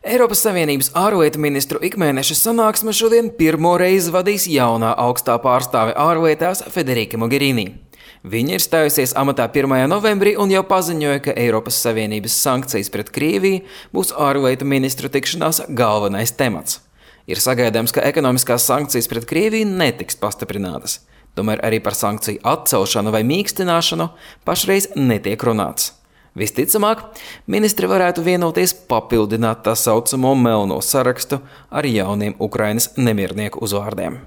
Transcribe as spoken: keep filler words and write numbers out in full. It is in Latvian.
Eiropas Savienības ārlietu ministru ikmēneša sanāksme šodien pirmo reizi vadīs jaunā augstā pārstāve ārlietās Federica Mogherini. Viņa ir stājusies amatā pirmajā novembrī un jau paziņoja, ka Eiropas Savienības sankcijas pret Krieviju būs ārlietu ministru tikšanās galvenais temats. Ir sagaidāms, ka ekonomiskās sankcijas pret Krieviju netiks pastiprinātas. Tomēr arī par sankciju atcelšanu vai mīkstināšanu pašreiz netiek runāts. Visticamāk, ministri varētu vienoties papildināt tā saucamo melno sarakstu ar jauniem Ukrainas nemiernieku uzvārdiem.